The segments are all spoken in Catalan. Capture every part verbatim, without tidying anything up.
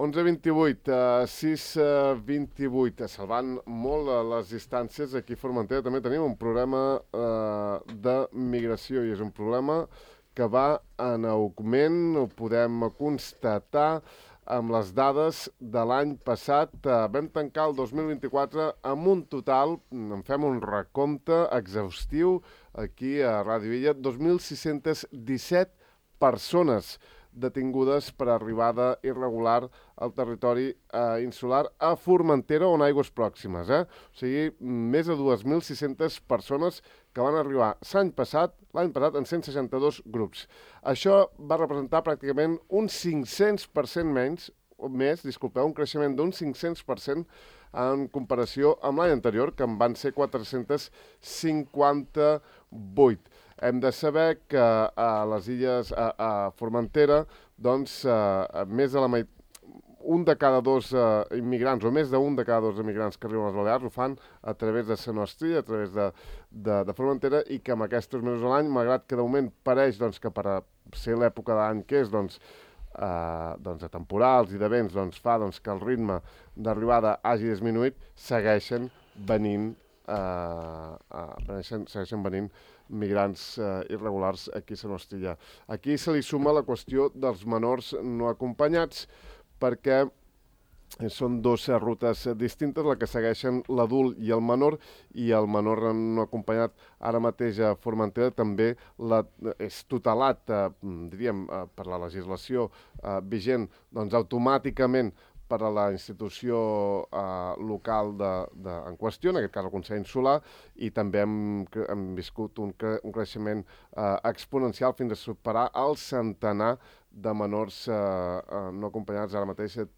onze vint-i-vuit, uh, sis vint-i-vuit, salvant molt uh, les distàncies. Aquí a Formentera també tenim un problema uh, de migració i és un problema que va en augment, ho podem constatar amb les dades de l'any passat. Uh, vam tancar el dos mil vint-i-quatre amb un total, en fem un recompte exhaustiu aquí a Ràdio Illa, dos mil sis-cents disset persones detingudes per arribada irregular al territori eh, insular a Formentera o en aigües pròximes. Eh? O sigui, més de dos mil sis-centes persones que van arribar l'any passat, l'any passat en cent seixanta-dos grups. Això va representar pràcticament un cinc-cents per cent menys, més, disculpeu, un creixement d'un cinc-cents per cent en comparació amb l'any anterior, que en van ser quatre-cents cinquanta-vuit. Hem de saber que a les illes, a, a Formentera, doncs, a, més de la meitat, un de cada dos uh, immigrants, o més d'un de cada dos immigrants que arriben a les Balears ho fan a través de la nostra, a través de, de, de Formentera, i que amb aquests mesos a l'any, malgrat que de moment pareix doncs, que per a ser l'època de l'any que és, doncs, uh, doncs, de temporals i de vents, doncs, fa doncs, que el ritme d'arribada hagi disminuït, segueixen venint, uh, uh, segueixen, segueixen venint migrants uh, irregulars aquí a la nostra. Aquí se li suma la qüestió dels menors no acompanyats, perquè són dues rutes distintes, la que segueixen l'adult i el menor, i el menor no acompanyat ara mateix a Formentera també la, és tutelat, eh, diríem, eh, per la legislació eh, vigent, doncs automàticament per a la institució eh, local de, de, en qüestió, en aquest cas el Consell Insular, i també hem, hem viscut un, cre, un creixement eh, exponencial fins a superar el centenar de menors eh, eh, no acompanyats ara mateix eh,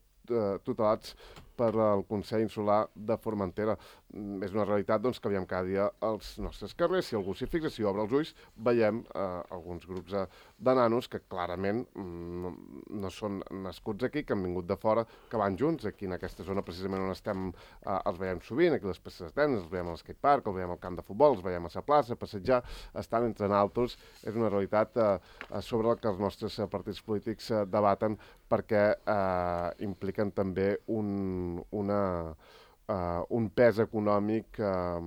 tutelats per al Consell Insular de Formentera. Mm, és una realitat doncs, que veiem cada dia als nostres carrers. Si algú s'hi fixa, si obre els ulls, veiem eh, alguns grups eh, de nanos que clarament mm, no són nascuts aquí, que han vingut de fora, que van junts. Aquí en aquesta zona precisament on estem eh, els veiem sovint, aquí a les places de tenis, els veiem al skatepark, els veiem al camp de futbol, els veiem a la plaça, a passejar, estan entre naltros. És una realitat eh, sobre la que els nostres eh, partits polítics eh, debaten, perquè eh, impliquen també un, una, uh, un pes econòmic, uh,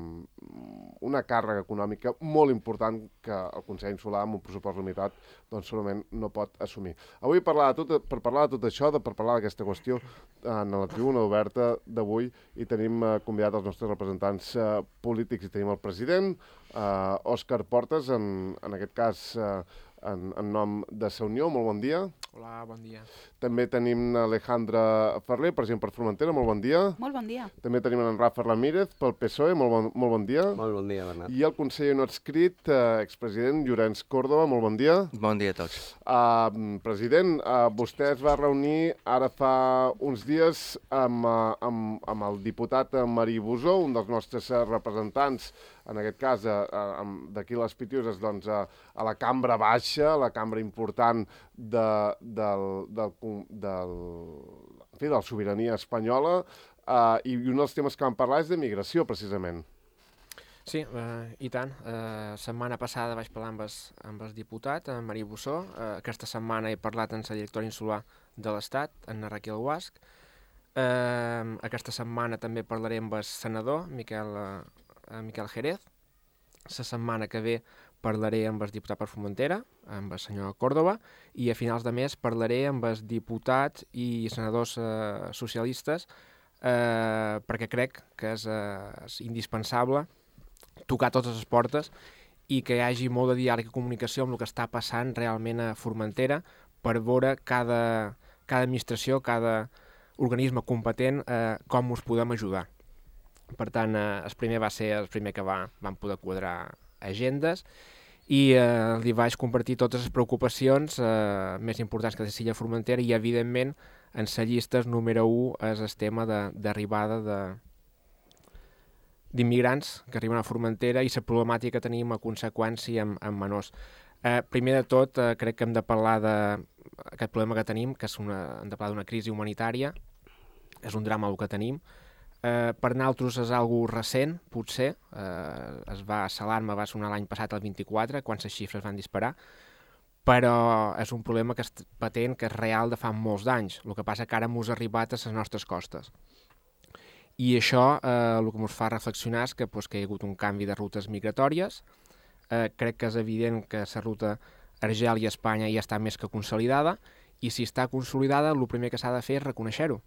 una càrrega econòmica molt important que el Consell Insular, amb un pressupost limitat, doncs segurament no pot assumir. Avui parlar de tot, per parlar de tot això, de, per parlar d'aquesta qüestió, en la tribuna oberta d'avui, i tenim uh, convidat els nostres representants uh, polítics, i tenim el president, uh, Òscar Portes, en, en aquest cas uh, en, en nom de Sa Unió. Molt bon dia. Hola, bon dia. També tenim Alejandra Ferrer, president per Formentera, molt bon dia. Molt bon dia. També tenim en Rafa Ramírez, pel P S O E, molt bon, molt bon dia. Molt bon dia, Bernat. I el conseller no adscrit, eh, expresident Llorenç Córdoba, molt bon dia. Bon dia a tots. Uh, president, uh, vostè es va reunir ara fa uns dies amb, uh, amb, amb el diputat Marí Bosó, un dels nostres uh, representants, en aquest cas, uh, uh, d'aquí les Pitiuses, doncs, uh, a la cambra baixa, la cambra important de, del, del, del, en fi, de la sobirania espanyola, uh, i un dels temes que vam parlar és de migració, precisament. Sí, eh, i tant. La eh, setmana passada vaig parlar amb el, amb el diputat, en Marí Bosó. Eh, aquesta setmana he parlat amb la directora insular de l'Estat, en Raquel Guasc. Eh, aquesta setmana també parlaré amb el senador, Miquel, eh, Miquel Jerez. La setmana que ve parlaré amb el diputat per Formentera, amb el senyor Córdoba, i a finals de mes parlaré amb els diputats i senadors eh, socialistes, eh, perquè crec que és, eh, és indispensable tocar totes les portes i que hi hagi molt de diàleg i comunicació amb el que està passant realment a Formentera, per veure cada, cada administració, cada organisme competent, eh, com us podem ajudar. Per tant, eh, el primer va ser el primer que va, vam poder quadrar agendes, i eh, li vaig compartir totes les preocupacions eh, més importants que té l'illa Formentera, i evidentment en la llista número u és el tema d'arribada de, d'immigrants que arriben a Formentera i la problemàtica que tenim a conseqüència amb, amb menors. Eh, primer de tot, eh, crec que hem de parlar d'aquest problema que tenim, que és una, hem de parlar d'una crisi humanitària, és un drama el que tenim. Eh, per nosaltres és algo recent, potser, eh, es va, l'alarma va sonar l'any passat, el vint-i-quatre, quan les xifres van disparar, però és un problema que és patent, que és real de fa molts d'anys. El que passa que ara mos ha arribat a les nostres costes. I això eh, el que ens fa reflexionar és que, pues, que hi ha hagut un canvi de rutes migratòries. Eh, crec que és evident que la ruta Argèlia-Espanya ja està més que consolidada, i si està consolidada, el primer que s'ha de fer és reconèixer-ho.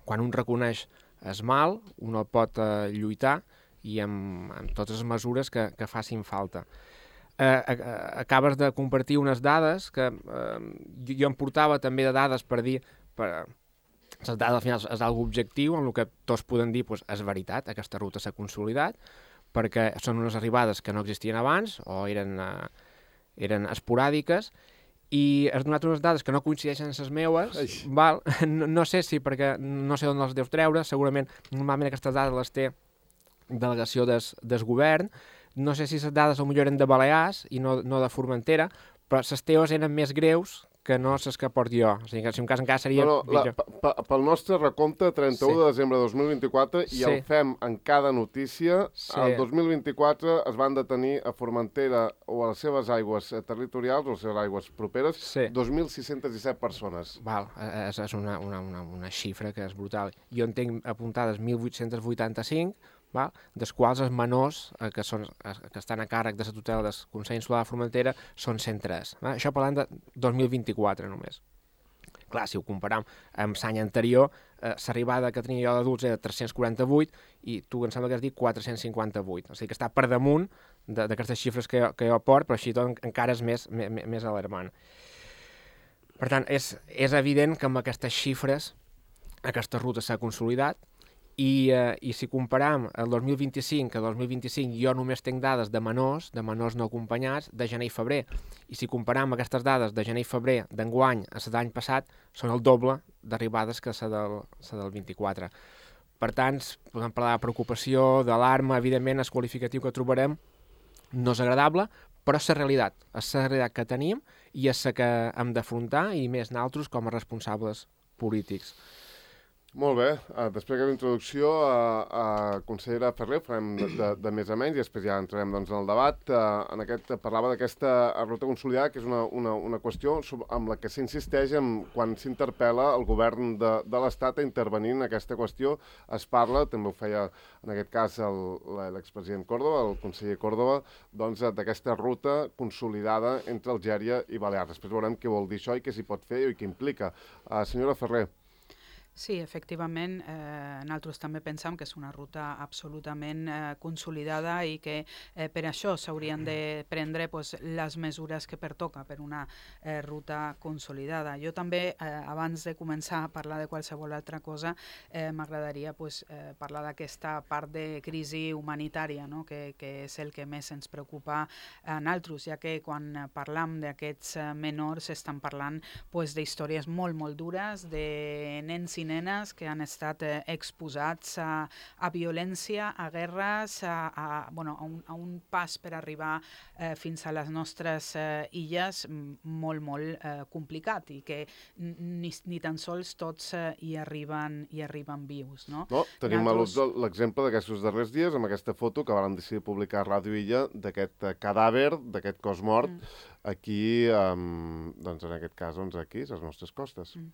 Quan un reconeix el mal, un el pot eh, lluitar i amb, amb totes les mesures que, que facin falta. Eh, eh, acabes de compartir unes dades que eh, jo, jo em portava també de dades per dir, per, les dades al final és algo objectiu, en el que tots podem dir pues, és veritat, aquesta ruta s'ha consolidat, perquè són unes arribades que no existien abans o eren, eh, eren esporàdiques, i has donat unes dades que no coincideixen amb les meues, val? No, no sé si perquè no sé on les deus treure, segurament normalment aquestes dades les té delegació des, des govern. No sé si les dades potser eren de Balears i no, no de Formentera, però les teves eren més greus que no les que porto jo. O sigui que si un cas encara seria... No, no, la, pel nostre recompte, trenta-u sí. de desembre de dos mil vint-i-quatre, i sí. el fem en cada notícia, sí. el dos mil vint-i-quatre es van detenir a Formentera o a les seves aigües territorials, o a les seves aigües properes, sí. dos mil sis-cents disset persones. Val, és, és una, una, una, una xifra que és brutal. Jo en tinc apuntades mil vuit-cents vuitanta-cinc, val? Dels quals els menors eh, que, són, eh, que estan a càrrec de la tutela del Consell Insular de Formentera són cent tres. Val? Això parlant de dos mil vint-i-quatre només. Clar, si ho comparam amb l'any anterior, eh, l'arribada que tenia jo d'adults era tres-cents quaranta-vuit i tu em sembla que has dit quatre-cents cinquanta-vuit. O sigui que està per damunt d'aquestes xifres que jo, que jo port, però així tot encara és més, més, més alarmant. Per tant, és, és evident que amb aquestes xifres aquesta ruta s'ha consolidat. I, eh, i si comparam el dos mil vint-i-cinc que el dos mil vint-i-cinc jo només tinc dades de menors, de menors no acompanyats, de gener i febrer. I si comparam aquestes dades de gener i febrer d'enguany a la d'any passat, són el doble d'arribades que la del, la del vint-i-quatre. Per tant, podem parlar de preocupació, d'alarma, evidentment el qualificatiu que trobarem no és agradable, però és la realitat, és la realitat que tenim i és la que hem d'afrontar, i més nosaltres com a responsables polítics. Molt bé, uh, després d'aquesta introducció, uh, uh, consellera Ferrer, farem de, de, de més a menys i després ja entrarem doncs, en el debat. Uh, en aquest, parlava d'aquesta ruta consolidada, que és una, una, una qüestió amb la que s'insisteix quan s'interpel·la el govern de, de l'Estat a intervenir en aquesta qüestió. Es parla, també ho feia en aquest cas l'expresident Córdoba, el conseller Córdoba, doncs, d'aquesta ruta consolidada entre Algèria i Balears. Després veurem què vol dir això i què s'hi pot fer i què implica. Uh, senyora Ferrer. Sí, efectivament, eh, nosaltres també pensem que és una ruta absolutament eh, consolidada i que eh, per això s'haurien de prendre pues, les mesures que pertoca per una eh, ruta consolidada. Jo també, eh, abans de començar a parlar de qualsevol altra cosa, eh, m'agradaria pues, eh, parlar d'aquesta part de crisi humanitària, no? que, que és el que més ens preocupa a nosaltres, ja que quan parlam d'aquests eh, menors estan parlant pues, d'històries molt, molt dures, de nens i nenes que han estat eh, exposats a, a violència, a guerres, a, a, bueno, a, un, a un pas per arribar eh, fins a les nostres eh, illes molt, molt eh, complicat i que ni, ni tan sols tots eh, hi, arriben, hi arriben vius. No? No, tenim Nosaltres... l'exemple d'aquests darrers dies amb aquesta foto que van decidir publicar a Ràdio Illa d'aquest cadàver, d'aquest cos mort, mm. aquí, um, doncs en aquest cas, doncs aquí, a les nostres costes. Mm.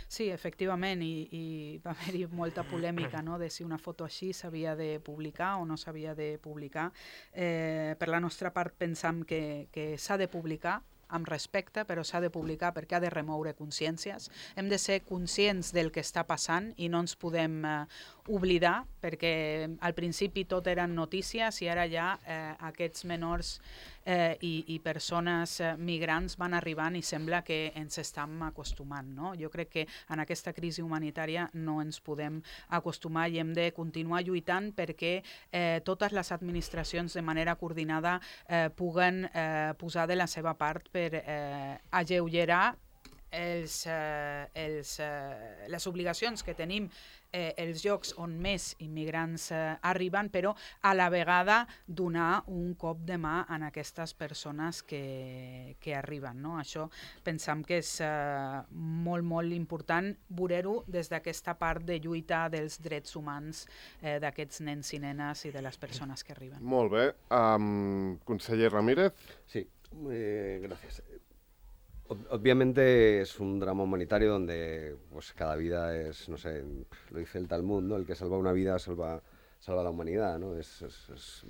Sí, efectivament, i, i va haver-hi molta polèmica, no?, de si una foto així s'havia de publicar o no s'havia de publicar. Eh, per la nostra part pensam que, que s'ha de publicar amb respecte, però s'ha de publicar perquè ha de remoure consciències. Hem de ser conscients del que està passant i no ens podem eh, oblidar, perquè al principi tot eren notícies i ara ja eh, aquests menors eh, i, i persones eh, migrants van arribant i sembla que ens estem acostumant. No? Jo crec que en aquesta crisi humanitària no ens podem acostumar i hem de continuar lluitant perquè eh, totes les administracions de manera coordinada eh, puguen eh, posar de la seva part per eh, alleugerar els, eh, els, eh, les obligacions que tenim eh, els llocs on més immigrants eh, arriben, però a la vegada donar un cop de mà a aquestes persones que, que arriben. No? Això pensam que és eh, molt, molt important veure-ho des d'aquesta part de lluita dels drets humans eh, d'aquests nens i nenes i de les persones que arriben. Molt bé. Um, conseller Ramírez. Sí, eh, gràcies. Obviamente es un drama humanitario donde pues cada vida es, no sé, lo dice el Talmud, ¿no? El que salva una vida salva, salva la humanidad, ¿no? Es, es, es,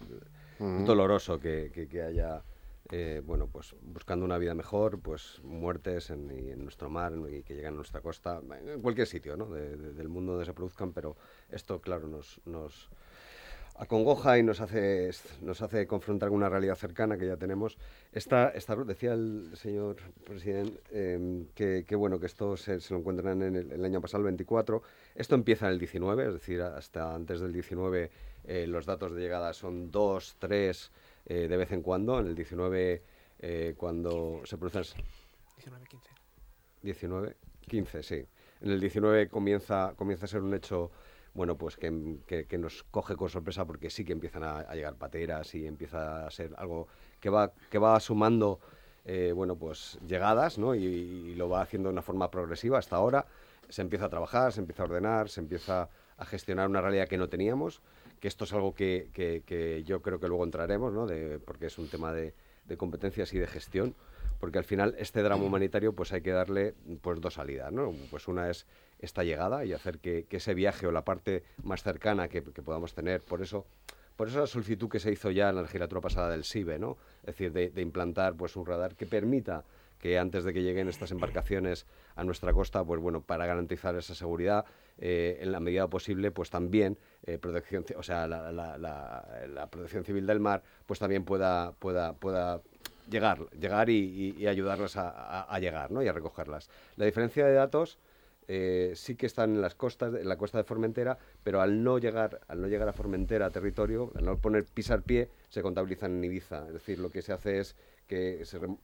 uh-huh. es doloroso que, que, que haya, eh, bueno, pues buscando una vida mejor, pues muertes en, en nuestro mar y que lleguen a nuestra costa, en cualquier sitio, ¿no? De, de, del mundo donde se produzcan, pero esto, claro, nos... nos acongoja y nos hace, nos hace confrontar con una realidad cercana que ya tenemos. Esta, esta decía el señor presidente eh, que, que, bueno, que esto se, se lo encuentran en el, el año pasado, el veinticuatro. Esto empieza en el diecinueve, es decir, hasta antes del diecinueve eh, los datos de llegada son dos, tres eh, de vez en cuando. En el diecinueve, eh, cuando se producen... diecinueve, quince. diecinueve, quince, sí. En el diecinueve comienza, comienza a ser un hecho... bueno, pues que, que, que nos coge con sorpresa porque sí que empiezan a, a llegar pateras y empieza a ser algo que va, que va sumando, eh, bueno, pues llegadas, ¿no? Y, y lo va haciendo de una forma progresiva hasta ahora. Se empieza a trabajar, se empieza a ordenar, se empieza a gestionar una realidad que no teníamos, que esto es algo que, que, que yo creo que luego entraremos, ¿no? De, porque es un tema de, de competencias y de gestión, porque al final este drama humanitario pues hay que darle pues dos salidas, ¿no? Pues una es esta llegada y hacer que, que ese viaje o la parte más cercana que, que podamos tener, por eso por eso la solicitud que se hizo ya en la legislatura pasada del SIBE, ¿no? Es decir, de, de implantar pues un radar que permita que antes de que lleguen estas embarcaciones a nuestra costa, pues bueno, para garantizar esa seguridad, eh, en la medida posible, pues también eh, protección, o sea, la, la, la, la protección civil del mar, pues también pueda pueda pueda llegar, llegar y, y, y ayudarlas a, a, a llegar, ¿no? Y a recogerlas. La diferencia de datos eh, sí que están en las costas, en la costa de Formentera, pero al no llegar, al no llegar a Formentera, a territorio, al no poner pisar pie, se contabilizan en Ibiza. Es decir, lo que se hace es que se rem...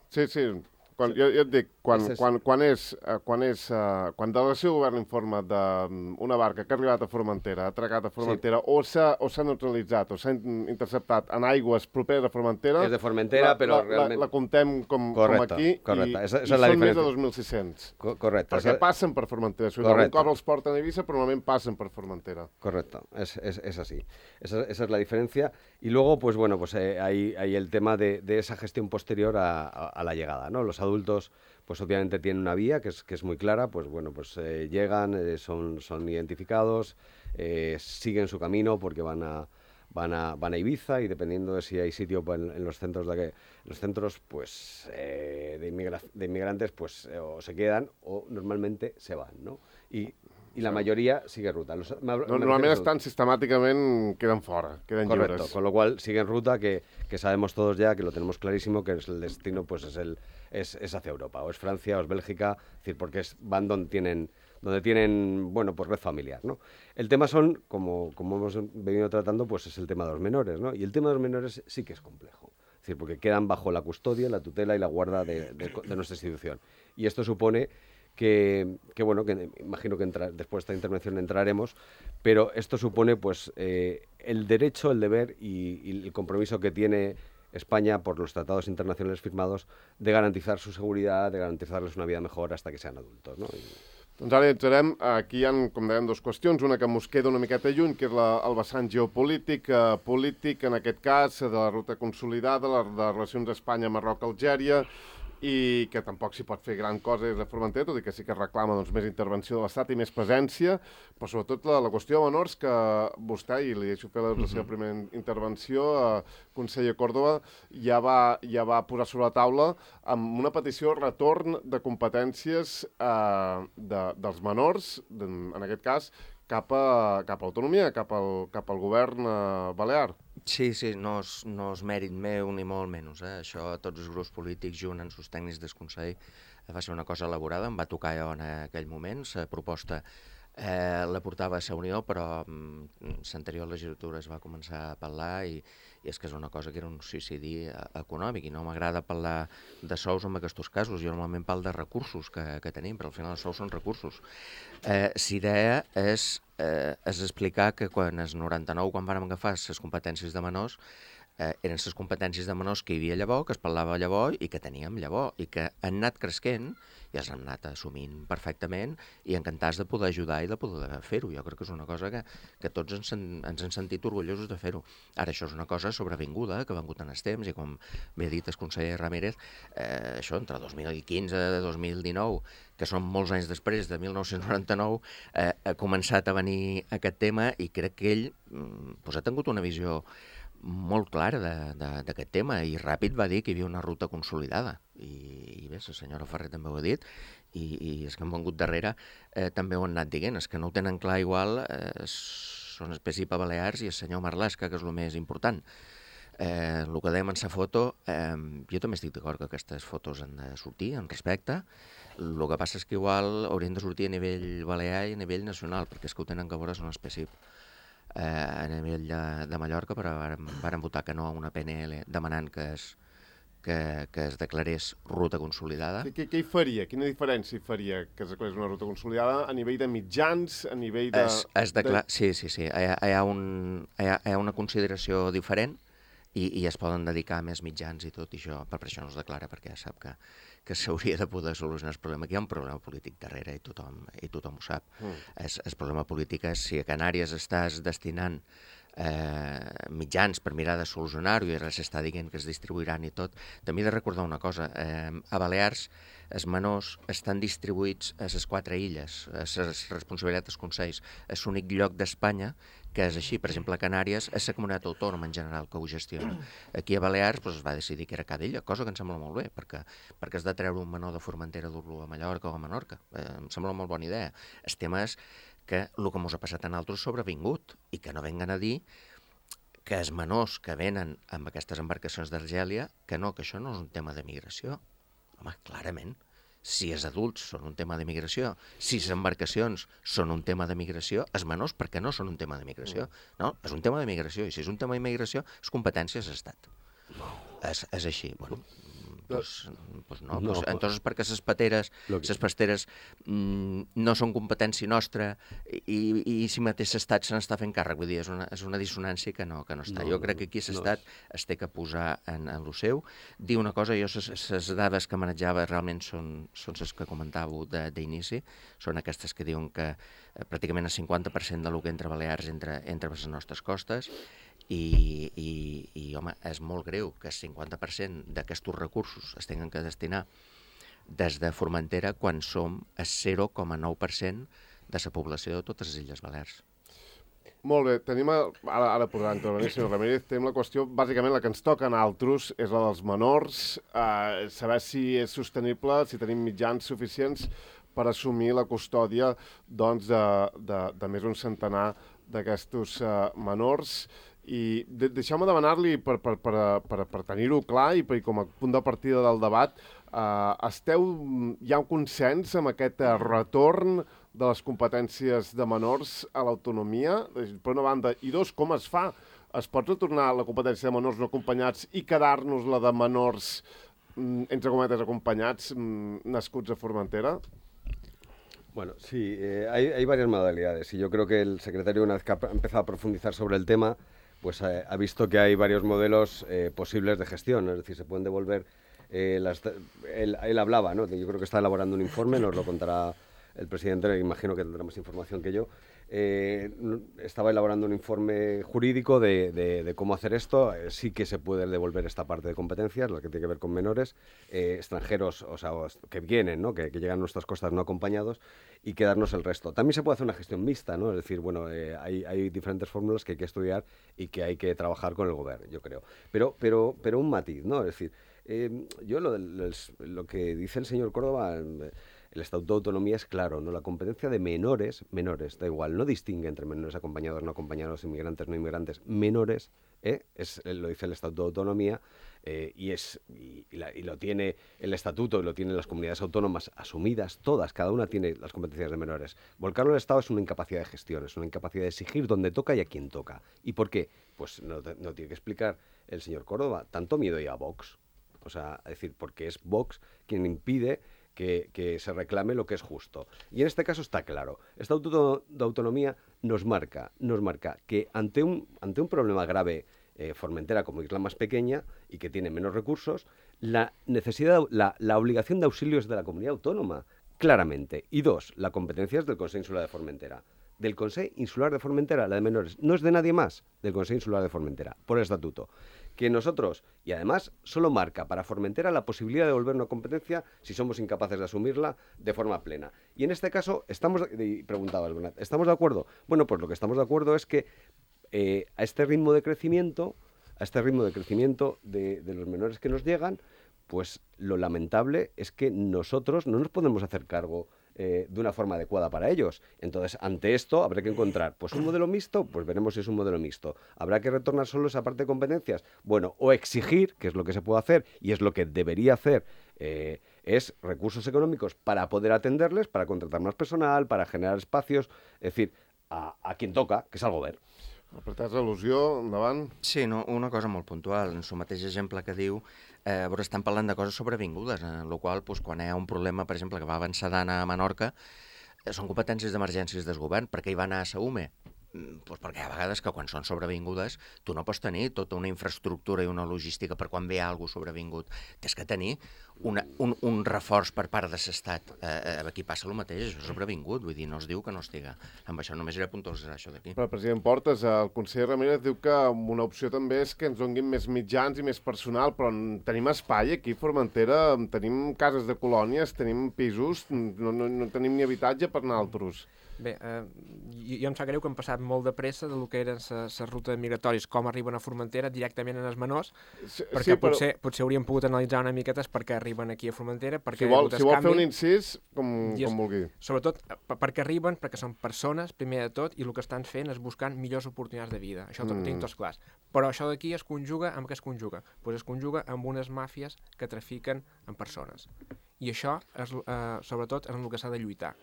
Sí, sí. Quan, jo, jo et dic, quan, és, quan, quan és, uh, quan és, uh, quan delegació de govern informa d'una barca que ha arribat a Formentera, ha atracat a Formentera, sí. o s'ha o s'ha neutralitzat o s'ha interceptat en aigües properes a Formentera, és de Formentera, la, però la, realment... la, la comptem com, correcte, com aquí correcte. i, esa, esa i és la són diferència. més de dos mil sis-cents. Co correcte. Perquè esa... passen per Formentera. Si algun cop els porten a Ibiza, però normalment passen per Formentera. Correcto, es, es, es así. Esa, esa es la diferencia. Y luego, pues bueno, pues eh, hay, hay el tema de, de esa gestión posterior a, a, a la llegada, ¿no? Los adultos, pues obviamente tienen una vía que es, que es muy clara, pues bueno, pues eh, llegan, eh, son, son identificados, eh, siguen su camino porque van a, van a, van a Ibiza y dependiendo de si hay sitio pues, en, en los centros, de que, los centros pues, eh, de, inmigra de inmigrantes, pues eh, o se quedan o normalmente se van, ¿no? Y, i la majoria sigue ruta. Los, no, normalment estan sistemàticament, queden fora, queden Correcto, lliures. Con lo cual siguen ruta que, que sabemos todos ya, que lo tenemos clarísimo, que es el destino pues es, el, es, es hacia Europa, o es Francia, o es Bélgica, es decir, porque es, van donde tienen, donde tienen, bueno, pues red familiar, ¿no? El tema son, como, como hemos venido tratando, pues es el tema de los menores, ¿no? Y el tema de los menores sí que es complejo, es decir, porque quedan bajo la custodia, la tutela y la guarda de, de, de nuestra institución. Y esto supone Que, que bueno, que imagino que entra, después de esta intervención entraremos, pero esto supone pues eh, el derecho, el deber y, y el compromiso que tiene España por los tratados internacionales firmados de garantizar su seguridad, de garantizarles una vida mejor hasta que sean adultos, ¿no? I... Doncs ara entrarem, aquí hi ha, com dèiem, dues qüestions, una que mos queda una miqueta lluny, que és la, el vessant geopolític, eh, polític, en aquest cas, de la ruta consolidada, la, de les relacions Espanya, Marroc, Algèria, i que tampoc s'hi pot fer gran cosa des de Formentera, tot i que sí que reclama doncs, més intervenció de l'Estat i més presència, però sobretot la, la qüestió de menors, que vostè, i li deixo fer la, la seva primera intervenció, eh, conseller Córdoba, ja va, ja va posar sobre la taula amb una petició de retorn de competències eh, de, dels menors, de, en aquest cas, cap a, cap a l'autonomia, cap, al, cap al govern eh, balear. Sí, sí, no és, no és mèrit meu ni molt menys. Eh? Això tots els grups polítics junt amb els tècnics del Consell va ser una cosa elaborada, em va tocar jo en aquell moment. La proposta eh, la portava a la Unió, però mm, l'anterior legislatura es va començar a parlar i, i és que és una cosa que era un suïcidi econòmic i no m'agrada parlar de sous en aquests casos. Jo normalment parlo de recursos que, que tenim, però al final els sous són recursos. Eh, la idea és, eh, és explicar que quan el noranta-nou, quan vàrem agafar les competències de menors, eh, eren les competències de menors que hi havia llavors, que es parlava llavors i que teníem llavors, i que han anat cresquent i els han anat assumint perfectament i encantats de poder ajudar i de poder fer-ho. Jo crec que és una cosa que, que tots ens, ens hem sentit orgullosos de fer-ho. Ara, això és una cosa sobrevinguda, que ha vengut en els temps, i com bé ha dit el conseller Ramírez, eh, això entre dos mil quinze i dos mil dinou, que són molts anys després de mil nou-cents noranta-nou, eh, ha començat a venir aquest tema i crec que ell pues, ha tingut una visió molt clara d'aquest tema i ràpid va dir que hi havia una ruta consolidada i, i bé, la senyora Ferrer també ho ha dit i, i els que han vengut darrere eh, també ho han anat dient, els que no ho tenen clar igual eh, són el P a Balears i el senyor Marlaska, que és el més important. Eh, el que dèiem en la foto, eh, jo també estic d'acord que aquestes fotos han de sortir en respecte. El que passa és que igual haurien de sortir a nivell balear i a nivell nacional, perquè és que ho tenen que veure són els P S I P. Eh, a nivell de, de Mallorca, però varen, varen votar que no a una P N L demanant que es, que, que es declarés ruta consolidada. Què, què hi faria? Quina diferència hi faria que es declarés una ruta consolidada a nivell de mitjans, a nivell de... Es, es decla... de... Sí, sí, sí. Hi ha, hi, ha un, hi, ha, hi ha una consideració diferent i, i es poden dedicar a més mitjans i tot, i això, per això no es declara, perquè sap que, que s'hauria de poder solucionar el problema. Aquí hi ha un problema polític darrere i tothom, i tothom ho sap. Mm. Es, el problema polític és si a Canàries estàs destinant eh, mitjans per mirar de solucionar-ho i ara s'està dient que es distribuiran i tot. També he de recordar una cosa. Eh, a Balears els menors estan distribuïts a les quatre illes, a les responsabilitats dels consells. És l'únic lloc d'Espanya que és així. Per exemple, a Canàries és la comunitat autònoma en general que ho gestiona. Aquí a Balears pues, es va decidir que era cada illa, cosa que em sembla molt bé, perquè, perquè has de treure un menor de Formentera, dur-lo a Mallorca o a Menorca. Eh, em sembla molt bona idea. El tema és que el que ens ha passat a nosaltres és sobrevingut i que no venguen a dir que els menors que venen amb aquestes embarcacions d'Argèlia, que no, que això no és un tema de migració. Home, clarament. Si els adults són un tema de migració, si les embarcacions són un tema de migració, els menors, per què no són un tema de migració? No, és un tema de migració, i si és un tema de migració, és competència de l'Estat. És, és així, bueno... Pues, pues no, no pues, entonces perquè les pateres, les pasteres mmm, no són competència nostra i, i si mateix l'Estat se n'està fent càrrec, vull dir, és una, és una dissonància que no, que no està. No, jo crec que aquí l'Estat no. es té que posar en, en lo seu. Dir una cosa, jo les dades que manejava realment són, són les que comentàveu d'inici, són aquestes que diuen que eh, pràcticament el cinquanta per cent del que entra a Balears entra, entra a les nostres costes. I, i, i, home, és molt greu que el cinquanta per cent d'aquests recursos es tinguin que destinar des de Formentera quan som el zero coma nou per cent de la població de totes les Illes Balears. Molt bé, tenim, a, ara, ara podrà intervenir, senyor Ramírez, tenim la qüestió, bàsicament la que ens toca a nosaltres és la dels menors, eh, saber si és sostenible, si tenim mitjans suficients per assumir la custòdia doncs, de, de, de més d'un centenar d'aquests eh, menors. I de, deixeu-me demanar-li, per, per, per, per, per tenir-ho clar i per, com a punt de partida del debat, eh, esteu, hi ha un consens amb aquest eh, retorn de les competències de menors a l'autonomia, per una banda, i dos, com es fa? Es pot retornar la competència de menors no acompanyats i quedar-nos la de menors, mm, entre cometes, acompanyats, mm, nascuts a Formentera? Bueno, sí, eh, hay, hay varias modalidades y yo creo que el secretario, una vez que ha empezado a profundizar sobre el tema, pues eh, ha visto que hay varios modelos eh, posibles de gestión, es decir, se pueden devolver, eh, las, él, él hablaba, ¿no? Yo creo que está elaborando un informe, nos lo contará el presidente, imagino que tendrá más información que yo. Eh, estaba elaborando un informe jurídico de, de, de cómo hacer esto. Eh, sí que se puede devolver esta parte de competencias, la que tiene que ver con menores, eh, extranjeros, o sea, que vienen, ¿no? que, que llegan a nuestras costas no acompañados, y quedarnos el resto. También se puede hacer una gestión mixta, ¿no? Es decir, bueno, eh, hay, hay diferentes fórmulas que hay que estudiar y que hay que trabajar con el gobierno, yo creo. Pero, pero, pero un matiz, ¿no? Es decir, eh, yo lo, lo, lo que dice el señor Córdoba... Eh, el Estatuto de Autonomía es claro, ¿no? La competencia de menores, menores, da igual, no distingue entre menores acompañados, no acompañados, inmigrantes, no inmigrantes, menores, ¿eh? es, lo dice el Estatuto de Autonomía, eh, y, es, y, y, la, y lo tiene el Estatuto y lo tienen las comunidades autónomas asumidas, todas, cada una tiene las competencias de menores. Volcarlo al Estado es una incapacidad de gestión, es una incapacidad de exigir donde toca y a quién toca. ¿Y por qué? Pues no, no tiene que explicar el señor Córdoba, tanto miedo hay a Vox, o sea, es decir, porque es Vox quien impide Que, que se reclame lo que es justo. Y en este caso está claro. El Estatuto de Autonomía nos marca, nos marca que ante un, ante un problema grave eh, Formentera como isla más pequeña y que tiene menos recursos, la necesidad, la, la obligación de auxilio es de la comunidad autónoma, claramente. Y dos, la competencia es del Consejo Insular de Formentera. Del Consejo Insular de Formentera, la de menores, no es de nadie más, del Consejo Insular de Formentera, por estatuto. Que nosotros, y además solo marca para Formentera la posibilidad de devolver una competencia si somos incapaces de asumirla de forma plena. Y en este caso, estamos, y preguntabas, Bernat, ¿estamos de acuerdo? Bueno, pues lo que estamos de acuerdo es que eh, a este ritmo de crecimiento, a este ritmo de crecimiento de, de los menores que nos llegan, pues lo lamentable es que nosotros no nos podemos hacer cargo Eh, de una forma adecuada para ellos. Entonces, ante esto, habrá que encontrar, pues un modelo mixto, pues veremos si es un modelo mixto. ¿Habrá que retornar solo esa parte de competencias? Bueno, o exigir, que es lo que se puede hacer, y es lo que debería hacer, eh, es recursos económicos para poder atenderles, para contratar más personal, para generar espacios, es decir, a, a quien toca, que és el govern. Apretats al·lusió, endavant. Sí, no, una cosa molt puntual. En el mateix exemple que diu, eh, però estan parlant de coses sobrevingudes, en la qual doncs, quan hi ha un problema, per exemple, que va avançar a Menorca, eh, són competències d'emergències del govern. Per què hi va anar a Saume? Pues perquè hi ha vegades que quan són sobrevingudes tu no pots tenir tota una infraestructura i una logística per quan ve alguna sobrevingut. Tens que tenir una, un, un reforç per part de l'Estat. Eh, aquí passa el mateix, això és sobrevingut, vull dir, no es diu que no estiga. Amb això només era puntualitzar això d'aquí. Però, president Portes, el conseller Ramírez diu que una opció també és que ens donguin més mitjans i més personal, però tenim espai aquí a Formentera, tenim cases de colònies, tenim pisos, no, no, no tenim ni habitatge per nosaltres. Bé, eh, jo em sap greu que han passat molt de pressa del que eren les rutes migratoris, com arriben a Formentera directament en els menors, sí, perquè sí, però... potser, potser hauríem pogut analitzar una miqueta per què arriben aquí a Formentera. Si vol, si vol fer un incís, com, com vulgui. Sobretot perquè arriben, perquè són persones, primer de tot, i el que estan fent és buscant millors oportunitats de vida. Això mm. ho tinc tots clars. Però això d'aquí es conjuga amb què es conjuga? Pues es conjuga amb unes màfies que trafiquen en persones. I això, és, eh, sobretot, és en el que s'ha de lluitar.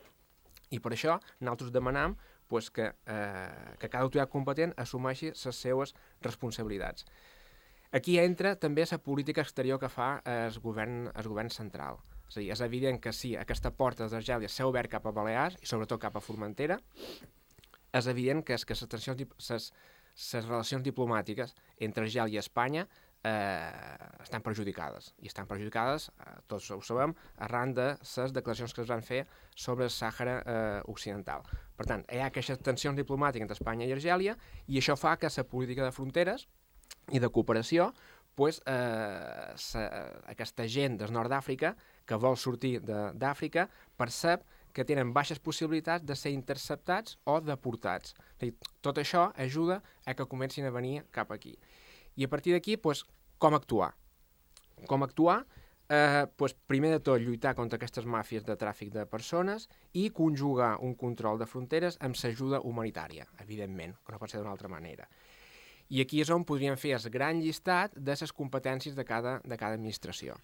I per això nosaltres demanam pues, que, eh, que cada autoritat competent assumeixi les seues responsabilitats. Aquí entra també la política exterior que fa el govern, el govern central. És a dir, és evident que sí, aquesta porta d'Argèlia s'ha obert cap a Balears i sobretot cap a Formentera. És evident que, és que les, tensions, les, les relacions diplomàtiques entre Argèlia i Espanya Eh, estan perjudicades, i estan perjudicades, eh, tots ho sabem, arran de les declaracions que es van fer sobre el Sàhara eh, Occidental. Per tant, hi ha aquestes tensions diplomàtiques entre Espanya i Argèlia, i això fa que la política de fronteres i de cooperació, pues, eh, sa, aquesta gent del nord d'Àfrica que vol sortir d'Àfrica percep que tenen baixes possibilitats de ser interceptats o deportats. És a dir, tot això ajuda a que comencin a venir cap aquí. I a partir d'aquí, pues, com actuar? Com actuar? Eh, pues, primer de tot, lluitar contra aquestes màfies de tràfic de persones i conjugar un control de fronteres amb l'ajuda humanitària, evidentment, que no pot ser d'una altra manera. I aquí és on podríem fer el gran llistat de les competències de cada, de cada administració.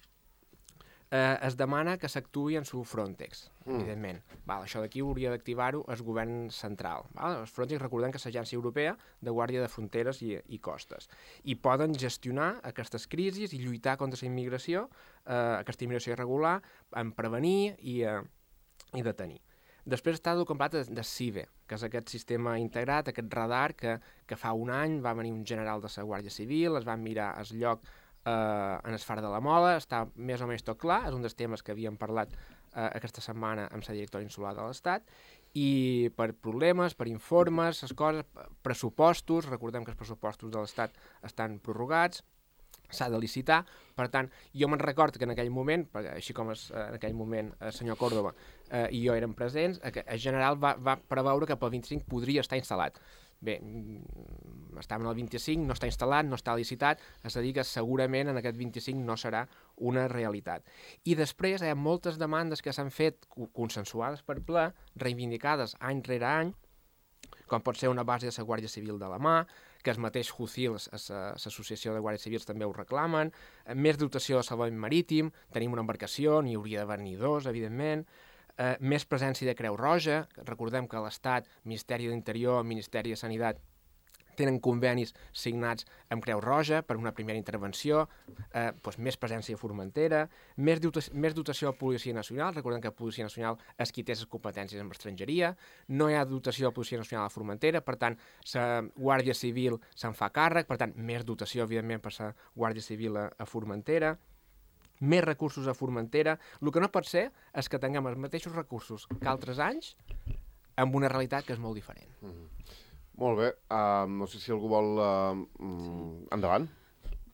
Eh, es demana que s'actuï en su Frontex, mm. evidentment. Val, això d'aquí hauria d'activar-ho el govern central. Val? El Frontex, recordem que és l'Agència Europea de Guàrdia de Fronteres i, i Costes. I poden gestionar aquestes crisis i lluitar contra la immigració, eh, aquesta immigració irregular, en prevenir i, eh, i detenir. Després està el complet de, de C I V E, que és aquest sistema integrat, aquest radar que, que fa un any va venir un general de la Guàrdia Civil, es van mirar el lloc Uh, en el Far de la Mola, està més o menys tot clar, és un dels temes que havíem parlat uh, aquesta setmana amb la directora insular de l'Estat, i per problemes, per informes, les coses, pressupostos, recordem que els pressupostos de l'Estat estan prorrogats, s'ha de licitar, per tant, jo me'n recordo que en aquell moment, així com es, en aquell moment el senyor Córdoba eh, i jo érem presents, el general va, va preveure que pel vint-i-cinc podria estar instal·lat. Bé, estàvem al vint-i-cinc, no està instal·lat, no està licitat, és a dir que segurament en aquest vint-i-cinc no serà una realitat. I després hi ha moltes demandes que s'han fet consensuades per ple, reivindicades any rere any, com pot ser una base de la Guàrdia Civil de la mà, que el mateix Jucil, l'associació de Guàrdies Civils, també ho reclamen, més dotació de salvament marítim, tenim una embarcació, n'hi hauria d'haver-n'hi dos, evidentment, eh, més presència de Creu Roja, recordem que l'Estat, Ministeri de l'Interior, Ministeri de Sanitat, tenen convenis signats amb Creu Roja per una primera intervenció, eh, doncs més presència a Formentera, més, dotació, més dotació a Policia Nacional, recordem que la Policia Nacional és qui té les competències amb estrangeria, no hi ha dotació a la Policia Nacional a Formentera, per tant, la Guàrdia Civil se'n fa càrrec, per tant, més dotació, evidentment, per la Guàrdia Civil a, a Formentera, més recursos a Formentera. El que no pot ser és que tinguem els mateixos recursos que altres anys amb una realitat que és molt diferent. Mm-hmm. Molt bé. Uh, no sé si algú vol... Uh, mm, endavant.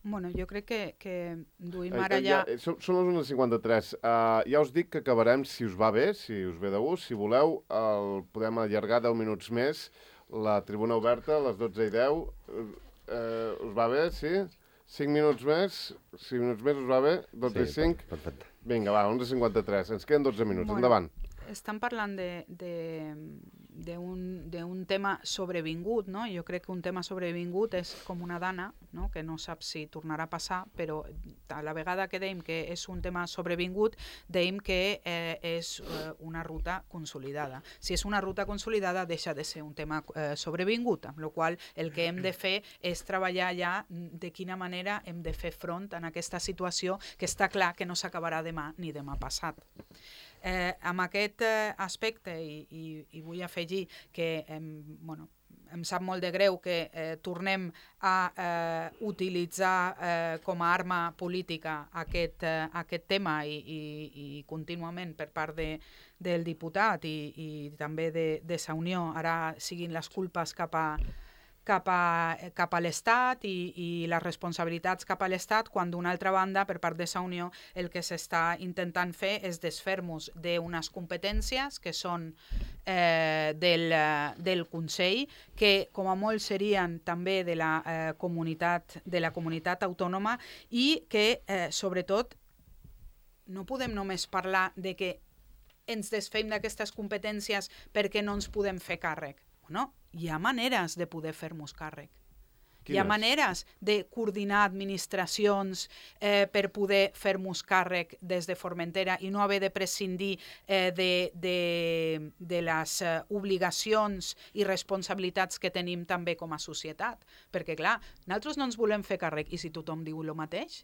Bueno, jo crec que, que duim Eh, ara eh, ja... ja... Són, són les una cinquanta-tres. Uh, ja us dic que acabarem, si us va bé, si us ve de gust, si voleu, el podem allargar deu minuts més. La tribuna oberta, a les dotze i deu. Uh, us va bé, sí? cinc minuts més? cinc minuts més us va bé? dotze i cinc? Perfecte. Vinga, va, onze cinquanta-tres. Ens queden dotze minuts. Bueno. Endavant. Estan parlant de, de, d'un tema sobrevingut, no? Jo crec que un tema sobrevingut és com una dana, no? Que no sap si tornarà a passar, però a la vegada que dèiem que és un tema sobrevingut, dèiem que eh, és eh, una ruta consolidada. Si és una ruta consolidada, deixa de ser un tema eh, sobrevingut, amb la qual cosa el que hem de fer és treballar ja de quina manera hem de fer front en aquesta situació que està clar que no s'acabarà demà ni demà passat. Eh, amb aquest eh, aspecte, i, i, i vull afegir que em, bueno, em sap molt de greu que eh, tornem a eh, utilitzar eh, com a arma política aquest, eh, aquest tema i, i, i contínuament per part de, del diputat i, i també de, de Sa Unió ara siguin les culpes cap a cap a, cap a l'Estat i, i les responsabilitats cap a l'Estat, quan d'una altra banda, per part de Sa Unió, el que s'està intentant fer és desfer-nos d'unes competències que són eh, del, del Consell, que com a molt serien també de la, eh, comunitat, de la comunitat autònoma i que, eh, sobretot, no podem només parlar de que ens desfem d'aquestes competències perquè no ens podem fer càrrec. No, hi ha maneres de poder fer-nos càrrec. Quines? Hi ha maneres de coordinar administracions eh, per poder fer-nos càrrec des de Formentera i no haver de prescindir eh, de, de, de les eh, obligacions i responsabilitats que tenim també com a societat. Perquè, clar, nosaltres no ens volem fer càrrec i si tothom diu el mateix...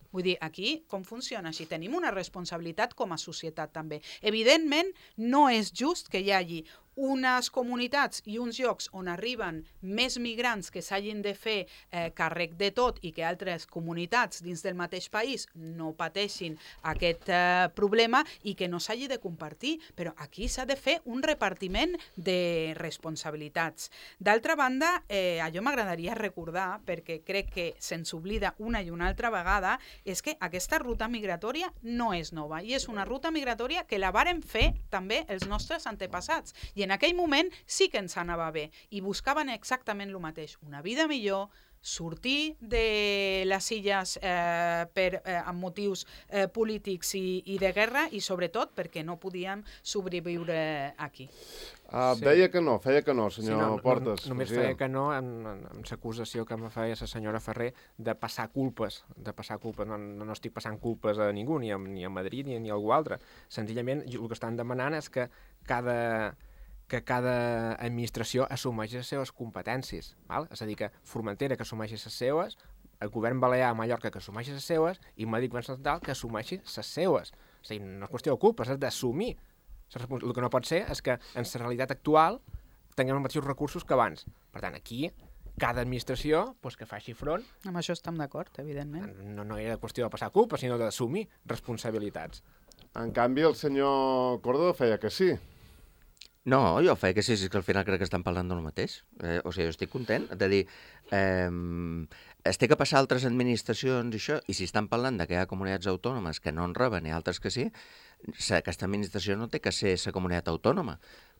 Vull dir, aquí com funciona així? Tenim una responsabilitat com a societat també. Evidentment, no és just que hi hagi unes comunitats i uns llocs on arriben més migrants que s'hagin de fer eh, càrrec de tot i que altres comunitats dins del mateix país no pateixin aquest eh, problema i que no s'hagi de compartir. Però aquí s'ha de fer un repartiment de responsabilitats. D'altra banda, eh, allò m'agradaria recordar, perquè crec que se'ns oblida una i una altra vegada, és que aquesta ruta migratòria no és nova i és una ruta migratòria que la varen fer també els nostres antepassats. I en aquell moment sí que ens anava bé i buscaven exactament el mateix, una vida millor, sortir de les illes eh, per, eh, amb motius eh, polítics i, i de guerra i sobretot perquè no podíem sobreviure aquí. Uh, Sí. Deia que no, feia que no, senyor Sí, no, Portes. No, només feia que no amb, amb l'acusació que me feia la senyora Ferrer de passar culpes, de passar culpes. No, no, no estic passant culpes a ningú, ni a, ni a Madrid ni, ni a algú altre. Senzillament, el que estan demanant és que cada... que cada administració assumeixi les seves competències. Val? És a dir, que Formentera que assumeixi les seues, el govern balear a Mallorca que assumeixi les seues i Madrid Govern Central que assumeixi les seues. És a dir, no és qüestió de culpes, és d'assumir. El que no pot ser és que en la realitat actual tinguem els mateixos recursos que abans. Per tant, aquí cada administració pues, que faci front. Amb això estem d'acord, evidentment. No, no era qüestió de passar culpa, sinó d'assumir responsabilitats. En canvi, el senyor Córdoba feia que sí. No, jo feia que sí, sí que al final crec que estan parlant del mateix. Eh, o sigui, jo estic content de dir, eh, es té que passar a altres administracions i això, i si estan parlant de que hi ha comunitats autònomes que no en reben i altres que sí, aquesta administració no té que ser la comunitat autònoma,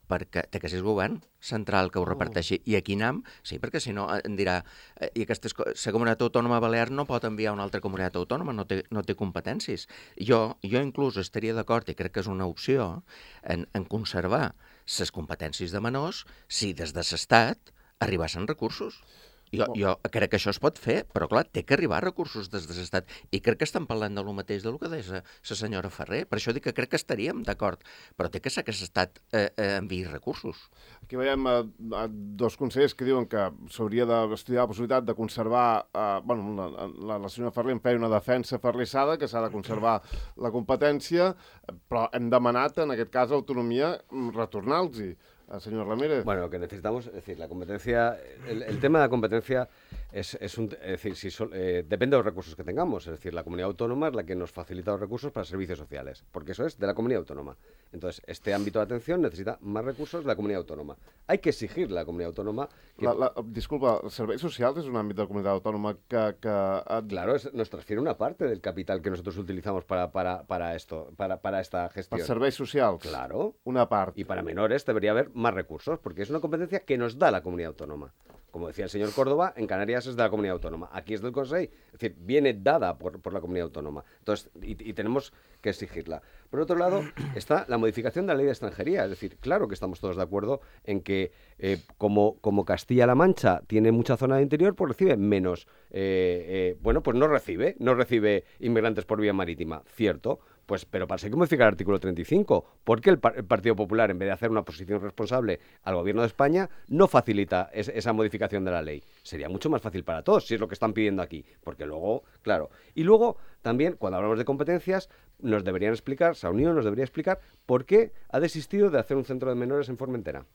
perquè té que ser el govern central que ho reparteixi. I aquí anem, sí, perquè si no em dirà, eh, i aquesta la comunitat autònoma balear no pot enviar a una altra comunitat autònoma, no té, no té competències. Jo, jo inclús estaria d'acord, i crec que és una opció, en, en conservar les competències de menors si des de l'Estat arribassin recursos. Jo, jo crec que això es pot fer, però clar, té que arribar recursos des de l'Estat. I crec que estan parlant del mateix del que deia la senyora Ferrer. Per això dic que crec que estaríem d'acord, però té que ser que l'Estat eh, eh, enviï recursos. Aquí veiem eh, dos consellers que diuen que s'hauria d'estudiar la possibilitat de conservar... Eh, bueno, la, la, la senyora Ferrer en feia una defensa ferrissada, que s'ha de conservar la competència, però hem demanat, en aquest cas, autonomia, retornar-los-hi. Señor Ramírez. Bueno, lo que necesitamos, es decir, la competencia, el, el tema de la competencia es, es un, es decir, si so, eh, depende de los recursos que tengamos, es decir, la comunidad autónoma es la que nos facilita los recursos para servicios sociales, porque eso es de la comunidad autónoma. Entonces, este ámbito de atención necesita más recursos de la comunidad autónoma. Hay que exigirle a la comunidad autónoma... Que... La, la, disculpa, ¿los servicios sociales es un ámbito de la comunidad autónoma que... que... Claro, es, nos transfiere una parte del capital que nosotros utilizamos para, para, para esto, para, para esta gestión. ¿Para servicios sociales? Claro. Una parte. Y para menores debería haber más recursos, porque es una competencia que nos da la comunidad autónoma. Como decía el señor Córdoba, en Canarias es de la comunidad autónoma. Aquí es del Consejo, es decir, viene dada por, por la comunidad autónoma. Entonces, y, y tenemos que exigirla. Por otro lado, está la modificación de la ley de extranjería. Es decir, claro que estamos todos de acuerdo en que eh, como, como Castilla-La Mancha tiene mucha zona de interior, pues recibe menos. Eh, eh, bueno, pues no recibe, no recibe inmigrantes por vía marítima, cierto. Pues, pero para eso hay que modificar el artículo treinta y cinco. ¿Por qué el, el Partido Popular, en vez de hacer una posición responsable al Gobierno de España, no facilita es, esa modificación de la ley? Sería mucho más fácil para todos, si es lo que están pidiendo aquí. Porque luego, claro. Y luego, también, cuando hablamos de competencias, nos deberían explicar, Sa Unión nos debería explicar por qué ha desistido de hacer un centro de menores en Formentera.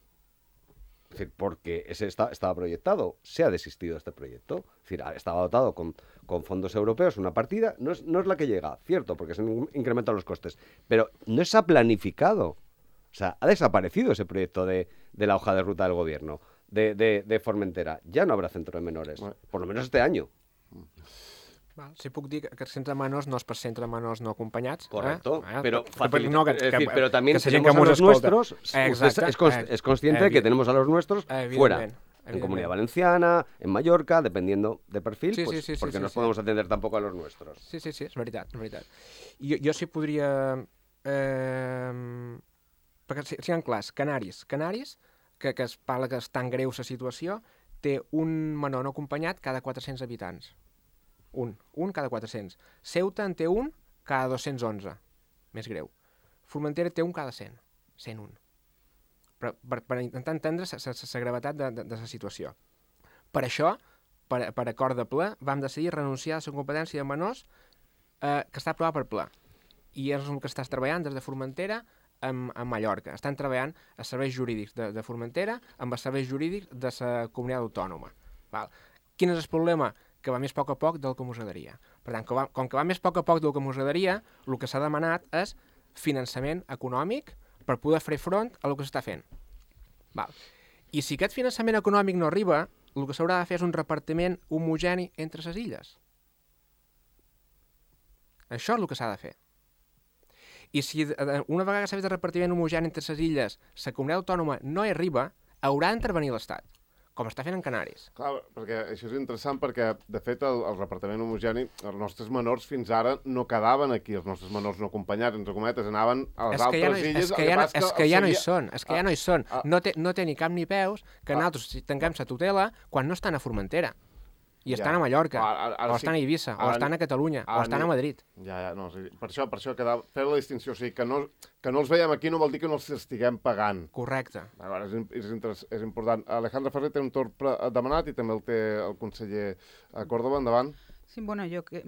Es decir, porque ese está, estaba proyectado, se ha desistido de este proyecto. Es decir, estaba dotado con, con fondos europeos, una partida, no es, no es la que llega, cierto, porque se han incrementado los costes, pero no se ha planificado. O sea, ha desaparecido ese proyecto de, de la hoja de ruta del gobierno, de, de, de Formentera. Ya no habrá centro de menores, por lo menos este año. Val. Si puc dir que els centres de menors no és per centre de menors no acompanyats. Correcto, eh? pero, facilita, no, que, es decir, pero también que tenemos a los escolta. nuestros, Exacte, es, es, es consciente de que tenemos a los nuestros fuera, en Comunidad Valenciana, en Mallorca, dependiendo de perfil, sí, pues, sí, sí, porque sí, no sí, podemos sí. atender tampoco a los nuestros. Sí, sí, sí, és veritat, és veritat. Jo, jo sí podria... Eh, perquè siguem clars, Canaris, Canaris, que, que es parla que és tan greu la situació, té un menor no acompanyat cada quatre-cents habitants. Un, un cada quatre-cents. Ceuta en té un cada dos-cents onze. Més greu. Formentera té un cada cent. cent un. Per, per, per intentar entendre la gravetat de, de, de la situació. Per això, per, per acord de ple, vam decidir renunciar a la competència de menors eh, que està aprovat per ple. I és el que estàs treballant des de Formentera amb, amb Mallorca. Estan treballant a serveis jurídics de, de Formentera amb els serveis jurídics de la comunitat autònoma. Val. Quin és el problema? Que va més a poc a poc del que ens agradaria. Per tant, que va, com que va més a poc a poc del que ens agradaria, el que s'ha demanat és finançament econòmic per poder fer front a el que s'està fent. Val. I si aquest finançament econòmic no arriba, el que s'haurà de fer és un repartiment homogeni entre les illes. Això és el que s'ha de fer. I si una vegada s'ha fet el repartiment homogeni entre les illes, la comunitat autònoma no hi arriba, haurà d'intervenir l'Estat, com està fent en Canaris. Clar, perquè això és interessant perquè, de fet, el, el repartiment homogeni, els nostres menors fins ara no quedaven aquí, els nostres menors no acompanyats, entre cometes, anaven a les altres ja no, illes. És que, ja no, és que ja no hi són, és que ah, ja no hi són. ah, no, té, no té ni cap ni peus que ah, nosaltres tanquem la tutela quan no estan a Formentera. I ja. estan a Mallorca, Ara, ara, ara o estan sí, a Eivissa, ara, o estan a Catalunya, o estan ni, a Madrid. Ja, ja, no, sí, per això, per això quedava, fer la distinció, o sigui, que no, que no els veiem aquí no vol dir que no els estiguem pagant. Correcte. Ara, és, és, és important. Alejandra Ferrer té un torn demanat i també el té el conseller Córdoba, endavant. Sí, bueno, jo que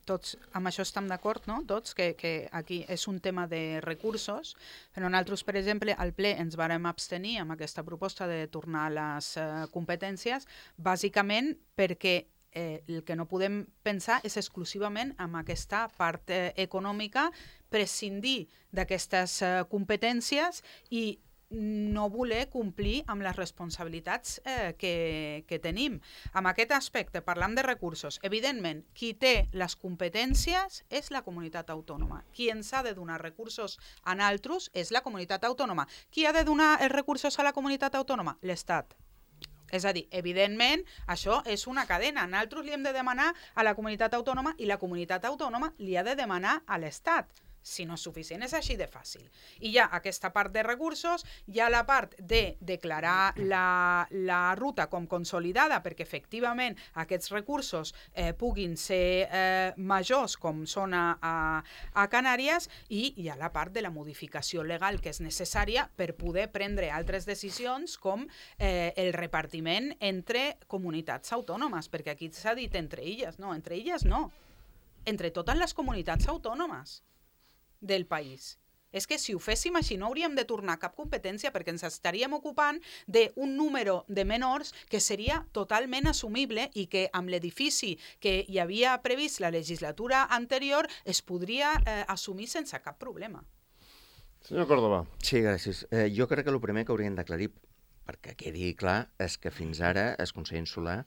tots amb això estem d'acord, no? Tots, que, que aquí és un tema de recursos, però nosaltres, per exemple, al ple ens vàrem abstenir amb aquesta proposta de tornar a les uh, competències, bàsicament perquè eh, el que no podem pensar és exclusivament amb aquesta part eh, econòmica, prescindir d'aquestes eh, competències i no voler complir amb les responsabilitats eh, que, que tenim. En aquest aspecte, parlam de recursos. Evidentment, qui té les competències és la comunitat autònoma. Qui ens ha de donar recursos a nosaltres és la comunitat autònoma. Qui ha de donar els recursos a la comunitat autònoma? L'Estat. És a dir, evidentment, això és una cadena. Nosaltres li hem de demanar a la comunitat autònoma i la comunitat autònoma li ha de demanar a l'Estat. si no és suficient. És així de fàcil. I hi ha aquesta part de recursos, hi ha la part de declarar la, la ruta com consolidada perquè efectivament aquests recursos eh, puguin ser eh, majors com són a, a, a Canàries, i hi ha la part de la modificació legal que és necessària per poder prendre altres decisions com eh, el repartiment entre comunitats autònomes, perquè aquí s'ha dit entre illes, no, entre illes no, entre totes les comunitats autònomes del país. És que si ho féssim així no hauríem de tornar cap competència perquè ens estaríem ocupant d'un número de menors que seria totalment assumible i que amb l'edifici que hi havia previst la legislatura anterior es podria eh, assumir sense cap problema. Senyor Córdoba. Sí, gràcies. Eh, jo crec que el primer que haurien d'aclarir, perquè quedi clar, és que fins ara el Consell Insular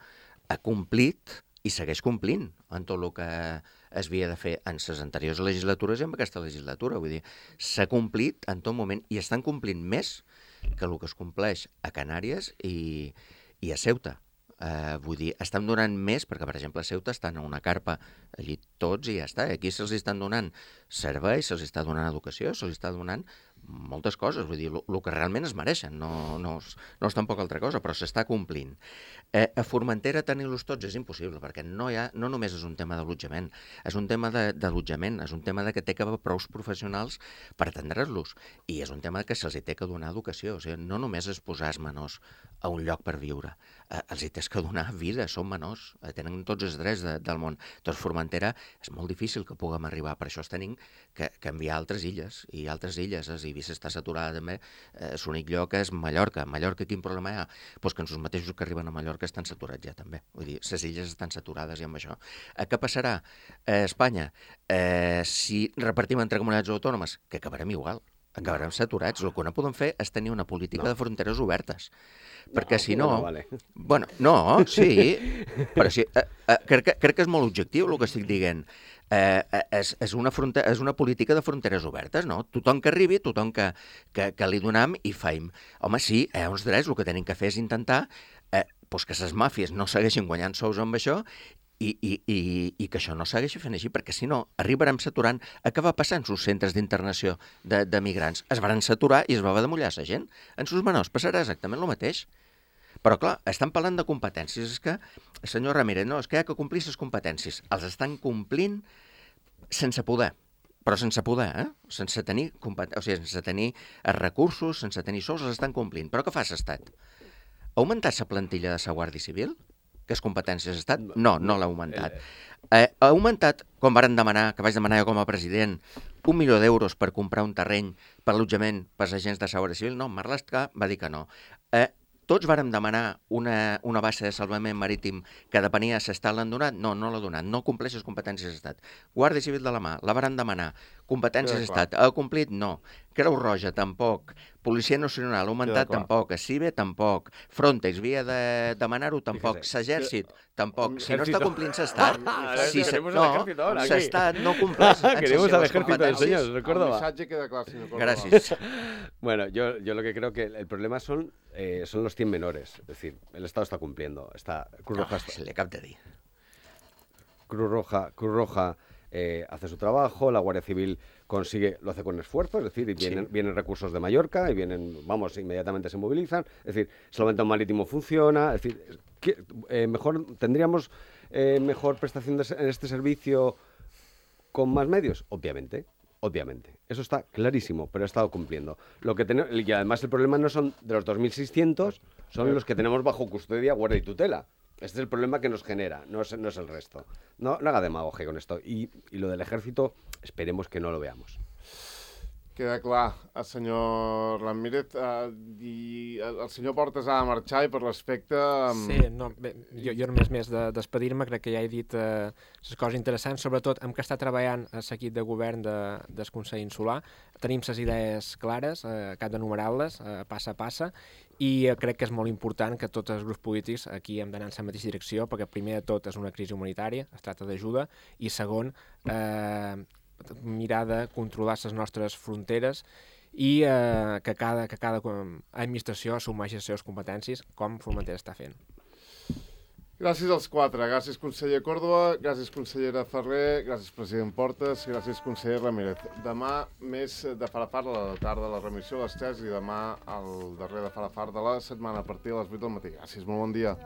ha complit i segueix complint en tot el que es havia de fer en les anteriors legislatures i en aquesta legislatura. Vull dir, s'ha complit en tot moment i estan complint més que el que es compleix a Canàries i, i a Ceuta. Uh, vull dir, estan donant més, perquè, per exemple, a Ceuta estan a una carpa allí tots i ja està. Aquí se'ls estan donant serveis, se'ls està donant educació, se'ls està donant moltes coses, vull dir, el que realment es mereixen, no, no, no és tampoc altra cosa, però s'està complint. Eh, a Formentera tenir-los tots és impossible, perquè no, hi ha, no només és un tema d'allotjament, és un tema d'allotjament, és un tema de que té que haver prous professionals per atendre-los, i és un tema que se'ls té que donar educació, o sigui, no només és posar els menors a un lloc per viure, eh, els hi tens que donar vida, són menors, eh, tenen tots els drets de, del món. Doncs Formentera és molt difícil que puguem arribar, per això es tenim que, que enviar a altres illes, i altres illes, és Eivissa està saturada també, eh, l'únic lloc és Mallorca. Mallorca quin problema hi ha? Pues que els mateixos que arriben a Mallorca estan saturats ja també. Vull dir, les illes estan saturades i amb això. Eh, què passarà a Espanya? Eh, si repartim entre comunitats autònomes, que acabarem igual, acabarem saturats. El que no podem fer és tenir una política no. de fronteres obertes. Perquè no, si no... no vale. Bueno, no, sí, però sí, eh, eh, crec, que, crec que és molt objectiu el que estic dient. Eh, és, és, una fronte, és una política de fronteres obertes, no? Tothom que arribi, tothom que, que, que li donem i faim. Home, sí, hi ha uns drets, el que tenim que fer és intentar eh, pues que les màfies no segueixin guanyant sous amb això i, i, i, i que això no segueixi fent així, perquè si no arribarem saturant. A què va passar en els centres d'internació de, de migrants? Es van saturar i es va haver de mullar la gent. En els menors passarà exactament el mateix. Però, clar, estan parlant de competències. És que, senyor Ramírez, no, és que hi ha que complir les competències. Els estan complint sense poder, però sense poder, eh? Sense tenir, o sigui, sense tenir recursos, sense tenir sous, els estan complint. Però què fa l'Estat? Ha augmentat la plantilla de la Guàrdia Civil? Que és competències d'Estat? No, no l'ha augmentat. Eh, ha augmentat, com varen demanar, que vaig demanar jo com a president, un milió d'euros per comprar un terreny per allotjament per als agents de la Guàrdia Civil? No, Marlaska va dir que no. Eh, Tots vàrem demanar una, una base de salvament marítim que depenia si l'Estat l'han donat? No, no l'ha donat. No compleix les competències d'Estat. Guàrdia Civil de la mà, la varen demanar. Competències d'Estat. Ha complit? No. Creu Roja, tampoc. Policia Nacional, ha augmentat? Tampoc. CIBE, tampoc. Frontex, havia de demanar-ho? Tampoc. S'Exèrcit, tampoc. Si no està complint l'Estat... Si no, l'Estat no compleix Queremos al ejército del señor, recuerdo. El mensaje queda claro, señor Córdoba. Gracias. Bueno, yo, yo lo que creo que el problema son, eh, son los cien menores. Es decir, el Estado está cumpliendo. Está, Cruz Roja... Oh, se le cap de dir. Cruz Roja... Cruz Roja Eh, hace su trabajo, la Guardia Civil consigue, lo hace con esfuerzo, es decir, y vienen, sí. vienen recursos de Mallorca y vienen, vamos, inmediatamente se movilizan, es decir, Salvamento Marítimo funciona, es decir, ¿qué, eh, mejor, ¿tendríamos eh, mejor prestación de, en este servicio con más medios? Obviamente, obviamente, eso está clarísimo, pero ha estado cumpliendo. Lo que tenemos, y además el problema no son de los dos mil seiscientos, son los que tenemos bajo custodia, guardia y tutela. Este es el problema que nos genera, no es, no es el resto. No, no haga demagogia con esto. Y, y lo del ejército, esperemos que no lo veamos. Queda clar, el senyor Ramírez eh, i el senyor Portes ha de marxar i per l'aspecte... Um... Sí, no, bé, jo, jo només més de despedir-me, crec que ja he dit eh, les coses interessants, sobretot amb què està treballant l'equip de govern de, del Consell Insular. Tenim les idees clares, eh, cap d'enumerar-les, eh, passa a passa, i eh, crec que és molt important que tots els grups polítics aquí hem d'anar en la mateixa direcció, perquè primer de tot és una crisi humanitària, es tracta d'ajuda, i segon, eh, mirar de controlar les nostres fronteres i eh, que cada, que cada administració assumeixi les seves competències, com Formentera està fent. Gràcies als quatre. Gràcies, conseller Córdoba, gràcies, consellera Ferrer, gràcies, president Portes, gràcies, conseller Ramírez. Demà, més de far a far, a la tarda, la remissió a les tres, i demà el darrer de far a far de la setmana a partir de les vuit del matí. Gràcies, molt bon dia.